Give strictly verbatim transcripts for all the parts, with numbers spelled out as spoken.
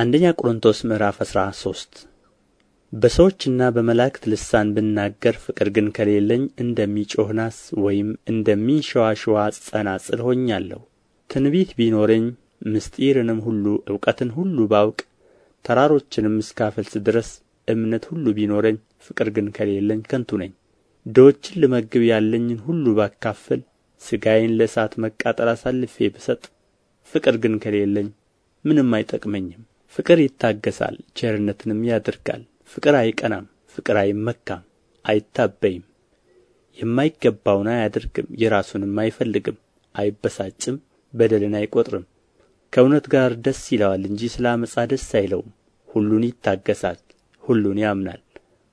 አንደኛ ቆሮንጦስ ምዕራፍ አስራ ሶስት በሰዎችና በመላእክት ልሳን ብናገር ፍቅር ግን ከሌለኝ እንደሚጮኽ ናስ ወይም እንደሚንሸዋሸዋ ጸናጽል ሆኛለሁ። ትንቢት ቢኖረኝ ምስጢርንም ሁሉ እውቀትን ሁሉ ባውቅ ተራሮችንም እስካፈልስ ድረስ እምነት ሁሉ ቢኖረኝ ፍቅር ግን ከሌለኝ ከንቱ ነኝ። ድሆችን ልመግብ ያለኝን ሁሉ ባካፍል ሥጋዬን ለእሳት መቃጠል አሳልፌ ብሰጥ ፍቅር ግን ከሌለኝ ምንም አይጠቅመኝም። ፍቅር ይታገሣል፣ ቸርነትንም ያደርጋል። ፍቅር አይቀናም፣ ፍቅር አይመካም፣ አይታበይም፣ የማይገባውን አያደርግም፣ የራሱንም አይፈልግም፣ አይበሳጭም፣ በደልን አይቈጥርም። ከእውነት ጋር ደስ ይለዋል እንጂ ስለ ዓመፃ ደስ አይለውም። ሁሉን ይታገሣል፣ ሁሉን ያምናል፣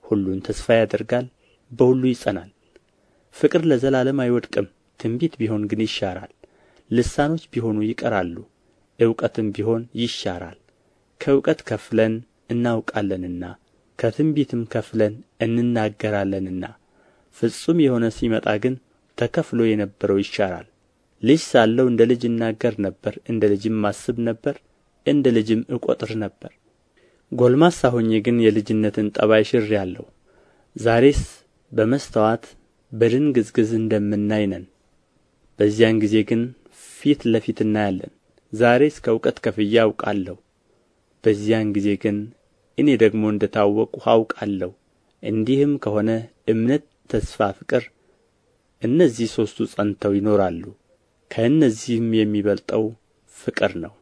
ሁሉን ተስፋ ያደርጋል፣ በሁሉ ይጸናል። ፍቅር ለዘላለም አይወድቅም። ትንቢት ቢሆን ግን ይሻራል፣ ልሳኖች ቢሆኑ ይቀራሉ፣ እውቀትም ቢሆን ይሻራል። ከእውቀት ከፍለን እናውቃለንና ከትንቢትም ከፍለን እንናገራለንና ፍጹም የሆነ ሲመጣ ግን ተከፍሎ የነበረው ይሻራል። ልጅ ሳለሁ እንደ ልጅ እናገር ነበር፣ እንደ ልጅም አስብ ነበር፣ እንደ ልጅም እቈጥር ነበር። ጎልማሳ ሆኜ ግን የልጅነትን ጠባይ ሽሬአለሁ። ዛሬስ በመስተዋት በድንግዝግዝ እንደምናይ ነን፣ በዚያን ጊዜ ግን ፊት ለፊት እናያለን። ዛሬስ ከእውቀት ከፍዬ አውቃለሁ፣ በዚያን ጊዜ ግን እኔ ደግሞ እንደ ታወቅሁ አውቃለሁ። እንዲህም ከሆነ እምነት፣ ተስፋ፣ ፍቅር እነዚህ ሦስቱ ጸንተው ይኖራሉ፣ ከእነዚህም የሚበልጠው ፍቅር ነው።